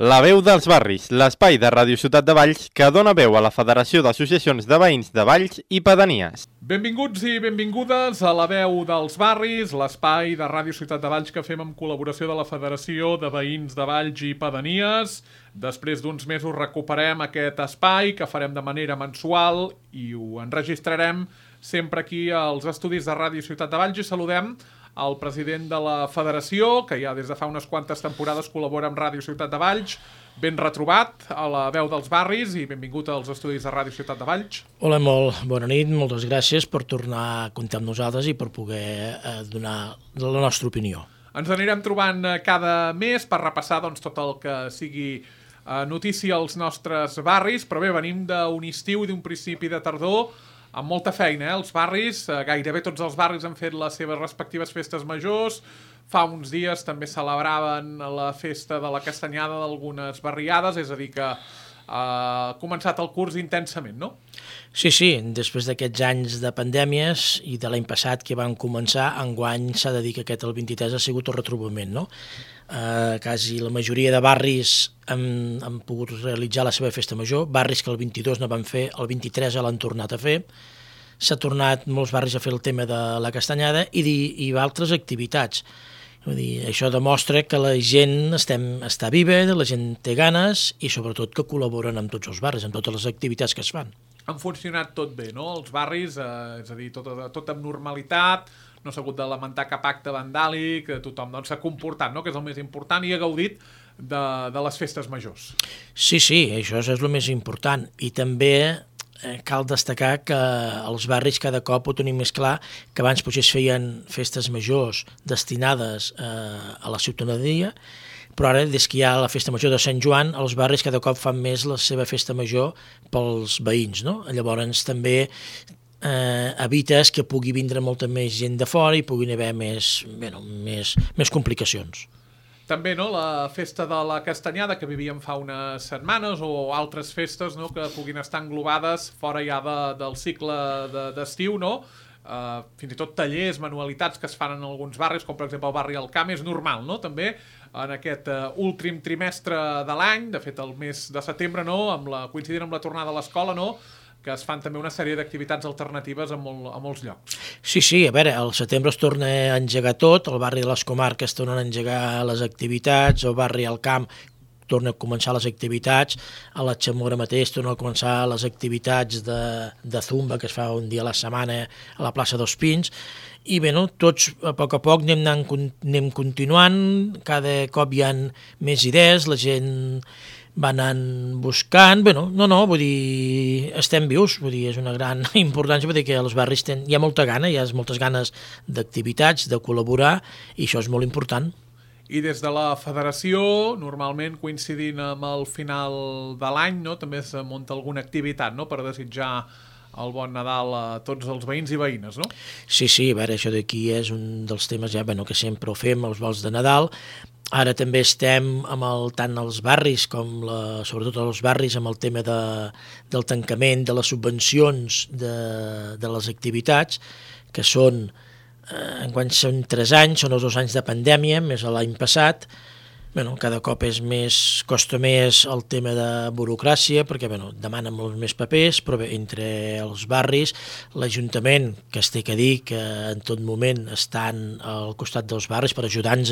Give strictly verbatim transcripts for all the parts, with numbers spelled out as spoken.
La veu dels barris, l'espai de Ràdio Ciutat de Valls que dona veu a la Federació d'Associacions de Veïns de Valls i Pedanies. Benvinguts i benvingudes a La veu dels barris, l'espai de Ràdio Ciutat de Valls que fem amb col·laboració de la Federació de Veïns de Valls i Pedanies. Després d'uns mesos recuperem aquest espai que farem de manera mensual i ho enregistrarem sempre aquí als estudis de Ràdio Ciutat de Valls i saludem el president de la Federació, que ja des de fa unes quantes temporades col·labora amb Ràdio Ciutat de Valls. Ben retrobat a La veu dels barris i benvingut als estudis de Ràdio Ciutat de Valls. Hola, molt bona nit, moltes gràcies per tornar a comptar amb nosaltres i per poder eh, donar la nostra opinió. Ens anirem trobant cada mes per repassar doncs, tot el que sigui eh, notícia als nostres barris, però bé, venim d'un estiu i d'un principi de tardor amb molta feina, eh? Els barris, eh, gairebé tots els barris han fet les seves respectives festes majors. Fa uns dies també celebraven la festa de la castanyada d'algunes barriades, és a dir que eh, ha començat el curs intensament, no? Sí, sí, després d'aquests anys de pandèmies i de l'any passat que van començar, enguany s'ha de dir que aquest el vint-i-tres ha sigut el retrobament, no? Eh, quasi la majoria de barris han, han pogut realitzar la seva festa major, barris que el vint-i-dos no van fer, el vint-i-tres l'han tornat a fer, s'ha tornat molts barris a fer el tema de la castanyada i, i altres activitats. Vull dir, això demostra que la gent estem, està viva, la gent té ganes i sobretot que col·laboren amb tots els barris, amb totes les activitats que es fan. Han funcionat tot bé, no? Els barris, eh, és a dir, tot, tot amb normalitat, no s'ha hagut de lamentar cap acte vandàlic, tothom doncs, s'ha comportat, no? Que és el més important, i ha gaudit de, de les festes majors. Sí, sí, això és el més important. I també eh, cal destacar que els barris cada cop ho tenim més clar, que abans potser es feien festes majors destinades eh, a la ciutadania, però ara, des que hi ha la festa major de Sant Joan, els barris cada cop fan més la seva festa major pels veïns, no? Llavors també eh, evites que pugui vindre molta més gent de fora i puguin haver més, bueno, més, més complicacions. També, no?, la festa de la castanyada que vivíem fa unes setmanes o altres festes, no?, que puguin estar englobades fora ja de, del cicle d'estiu, no?, Uh, fins i tot tallers, manualitats que es fan en alguns barris, com per exemple el barri Alcamp, és normal, no?, també en aquest uh, últim trimestre de l'any, de fet el mes de setembre, no?, amb la, coincidint amb la tornada a l'escola, no?, que es fan també una sèrie d'activitats alternatives a, molt, a molts llocs. Sí, sí, a veure, al setembre es torna a engegar tot, el barri de les Comarques tornen a engegar les activitats, el barri Alcamp torna a començar les activitats, a la Xamora mateix torna a començar les activitats de, de zumba que es fa un dia a la setmana a la plaça dels Pins, i bé, no, tots a poc a poc anem, anant, anem continuant, cada cop hi ha més idees, la gent va anant buscant, bé, no, no, no, vull dir, estem vius, vull dir, és una gran importància, vull dir que als barris ten, hi ha molta gana, hi ha moltes ganes d'activitats, de col·laborar, i això és molt important. I des de la Federació, normalment coincidint amb el final de l'any, no?, també es munta alguna activitat, no?, per desitjar el bon Nadal a tots els veïns i veïnes, no? Sí, sí, a veure, això d'aquí és un dels temes ja, bueno, que sempre ho fem, els vols de Nadal. Ara també estem amb el, tant els barris com la, sobretot els barris amb el tema de, del tancament de les subvencions de, de les activitats, que són Eh, enguany són tres anys, són els dos anys de pandèmia, més l'any passat. Bueno, cada cop és més, costa més el tema de burocràcia, perquè bueno, demanen molts més papers, però bé, entre els barris, l'Ajuntament, que es té que dir que en tot moment estan al costat dels barris per ajudar-nos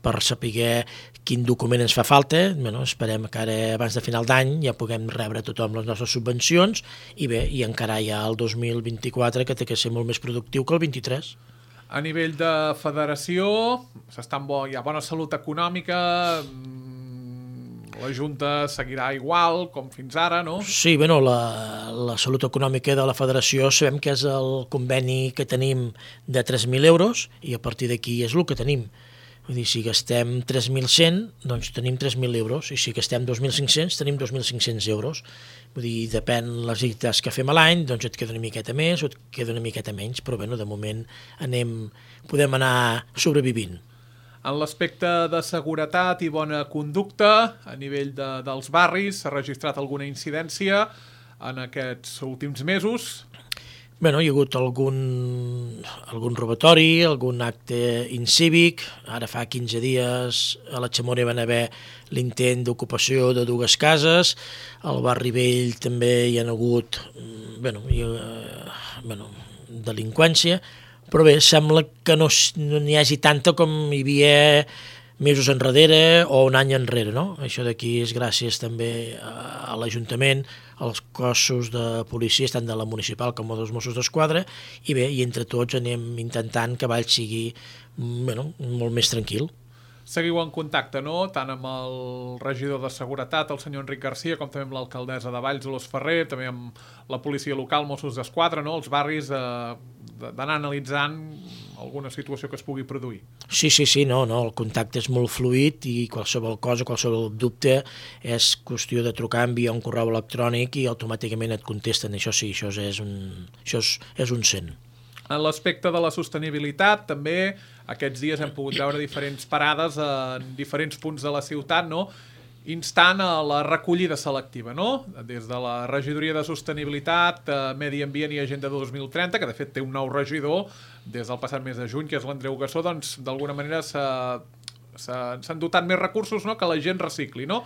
per saber quin document ens fa falta. Bueno, esperem que ara, abans de final d'any, ja puguem rebre tothom les nostres subvencions i bé, i encara hi ha el dos mil vint-i-quatre que té que ser molt més productiu que el vint-i-tres. A nivell de federació, s'està en bo, hi ha bona salut econòmica, la Junta seguirà igual com fins ara, no? Sí, bueno, la, la salut econòmica de la federació sabem que és el conveni que tenim de tres mil euros i a partir d'aquí és el que tenim. Vull dir, si gastem tres mil cent, doncs tenim tres mil euros, i si gastem dos mil cinc-cents, tenim dos mil cinc-cents euros. Vull dir, depèn les activitats que fem a l'any, doncs et queda una miqueta més o et queda una miqueta menys, però bueno, de moment anem, podem anar sobrevivint. En l'aspecte de seguretat i bona conducta, a nivell de, dels barris, s'ha registrat alguna incidència en aquests últims mesos? Bé, hi ha hagut algun, algun robatori, algun acte incívic. Ara fa quinze dies a la Xamora van haver l'intent d'ocupació de dues cases. Al barri vell també hi ha hagut bé, hi ha, bé, delinqüència, però bé, sembla que no n'hi hagi tanta com hi havia mesos enrere o un any enrere, no? Això d'aquí és gràcies també a l'Ajuntament, als cossos de policia, tant de la municipal com dels Mossos d'Esquadra, i bé, i entre tots anem intentant que Valls sigui bueno, molt més tranquil. Seguiu en contacte, no?, tant amb el regidor de Seguretat, el senyor Enric Garcia, com també amb l'alcaldessa de Valls, Dolors Ferrer, també amb la policia local, Mossos d'Esquadra, no?, els barris, eh, d'anar analitzant alguna situació que es pugui produir. Sí, sí, sí, no, no, el contacte és molt fluid i qualsevol cosa, qualsevol dubte és qüestió de trucar, enviar un correu electrònic i automàticament et contesten. Això sí, això és un, això és, és un cent. En l'aspecte de la sostenibilitat, també aquests dies hem pogut veure diferents parades en diferents punts de la ciutat, no?, instant a la recollida selectiva, no?, des de la regidoria de Sostenibilitat, Medi Ambient i Agenda dos mil trenta, que de fet té un nou regidor des del passat mes de juny, que és l'Andreu Gassó, doncs d'alguna manera s'han dotat més recursos, no?, que la gent recicli, no?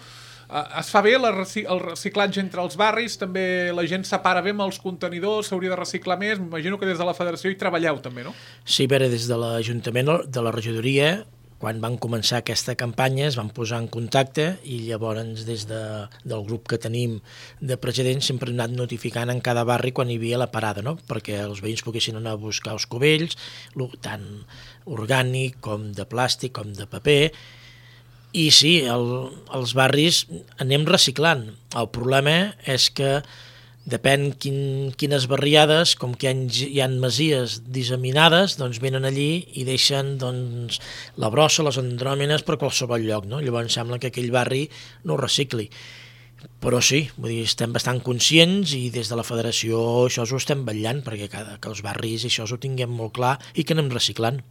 Es fa bé el reciclatge entre els barris, també la gent separa bé amb els contenidors, s'hauria de reciclar més, m'imagino que des de la federació hi treballeu també, no? Sí, bé, des de l'Ajuntament, de la regidoria, quan van començar aquesta campanya es van posar en contacte i llavors des de, del grup que tenim de presidents sempre hem anat notificant en cada barri quan hi havia la parada, no?, perquè els veïns poguessin anar a buscar els cubells, tant orgànic com de plàstic com de paper. I sí, el, els barris anem reciclant. El problema és que depèn quin, quines barriades, com que hi ha, hi ha masies disseminades, doncs venen allí i deixen doncs, la brossa, les andròmines per qualsevol lloc, no? Llavors sembla que aquell barri no recicli. Però sí, vull dir, estem bastant conscients i des de la federació això ho estem vetllant perquè cada, que els barris això ho tinguem molt clar i que anem reciclant.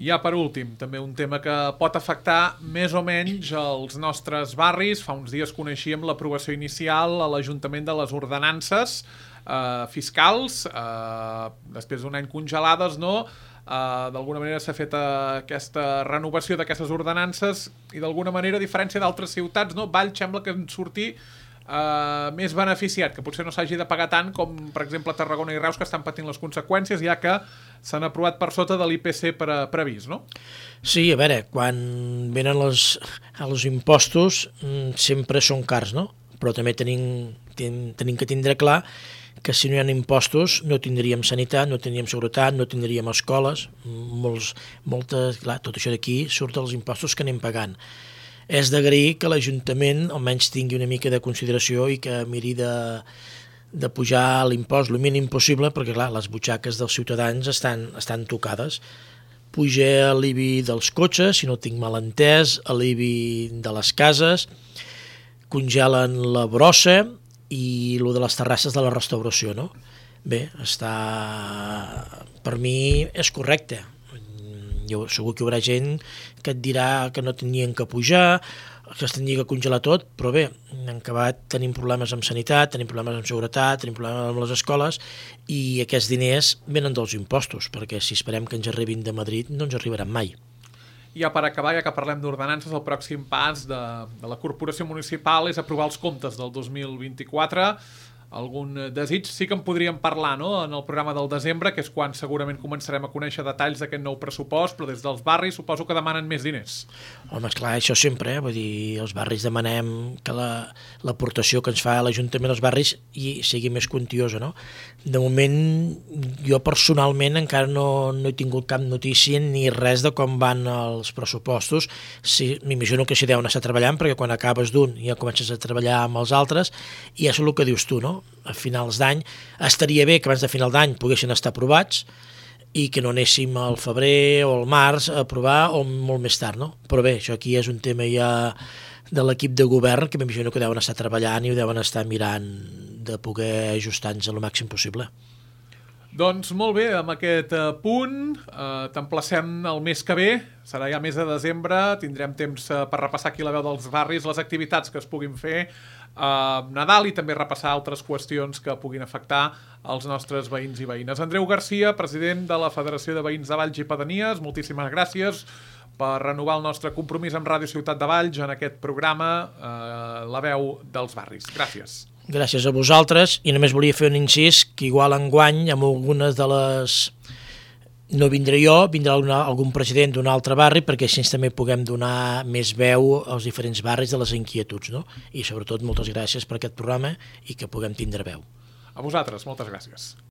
Ja per últim, també un tema que pot afectar més o menys els nostres barris. Fa uns dies coneixíem l'aprovació inicial a l'Ajuntament de les ordenances eh, fiscals, eh, després d'un any congelades, no? Eh, d'alguna manera s'ha fet eh, aquesta renovació d'aquestes ordenances i d'alguna manera, a diferència d'altres ciutats, no? Valls sembla que en surti Uh, més beneficiat, que potser no s'hagi de pagar tant com, per exemple, Tarragona i Reus, que estan patint les conseqüències, ja que s'han aprovat per sota de l'I P C pre previst, no? Sí, a veure, quan venen els, els impostos sempre són cars, no? Però també tenim, ten, tenim que tindre clar que si no hi ha impostos no tindríem sanitat, no tindríem seguretat, no tindríem escoles, molts, moltes, clar, tot això d'aquí surt dels impostos que anem pagant. És d'agrair que l'Ajuntament almenys tingui una mica de consideració i que miri de, de pujar l'impost el mínim possible, perquè clar, les butxaques dels ciutadans estan, estan tocades. Puja l'I B I dels cotxes, si no tinc mal entès, l'I B I de les cases, congelen la brossa i el de les terrasses de la restauració, no? Bé, està... per mi és correcte. Jo, segur que hi haurà gent que et dirà que no tenien que pujar, que es tenia que congelar tot, però bé, en acabat tenim problemes amb sanitat, tenim problemes amb seguretat, tenim problemes amb les escoles i aquests diners venen dels impostos, perquè si esperem que ens arribin de Madrid no ens arribaran mai. Ja per acabar, ja que parlem d'ordenances, el pròxim pas de, de la Corporació Municipal és aprovar els comptes del dos mil vint-i-quatre. Algun desig sí que en podríem parlar, no?, en el programa del desembre, que és quan segurament començarem a conèixer detalls d'aquest nou pressupost, però des dels barris suposo que demanen més diners. Home, esclar, això sempre, eh? Vull dir, els barris demanem que l'aportació la, que ens fa l'Ajuntament als barris i sigui més quantiosa, no? De moment, jo personalment encara no, no he tingut cap notícia ni res de com van els pressupostos. Sí, m'imagino que s'hi deuen estar treballant, perquè quan acabes d'un ja comences a treballar amb els altres, i és el que dius tu, no? A finals d'any, estaria bé que abans de final d'any poguessin estar aprovats i que no anéssim al febrer o al març a aprovar o molt més tard, no? Però bé, això aquí és un tema ja de l'equip de govern que m'imagino que deuen estar treballant i ho deuen estar mirant de poder ajustar-nos el màxim possible. Doncs molt bé, amb aquest uh, punt uh, t'emplacem el mes que ve, serà ja mes de desembre, tindrem temps uh, per repassar aquí la veu dels barris, les activitats que es puguin fer a uh, Nadal i també repassar altres qüestions que puguin afectar els nostres veïns i veïnes. Andreu Garcia, president de la Federació de Veïns de Valls i Pedanies, moltíssimes gràcies per renovar el nostre compromís amb Ràdio Ciutat de Valls en aquest programa, uh, La veu dels barris. Gràcies. Gràcies a vosaltres, i només volia fer un incís que igual enguany amb algunes de les... no vindré jo, vindrà alguna, algun president d'un altre barri perquè així també puguem donar més veu als diferents barris de les inquietuds, no? I sobretot moltes gràcies per aquest programa i que puguem tindre veu. A vosaltres, moltes gràcies.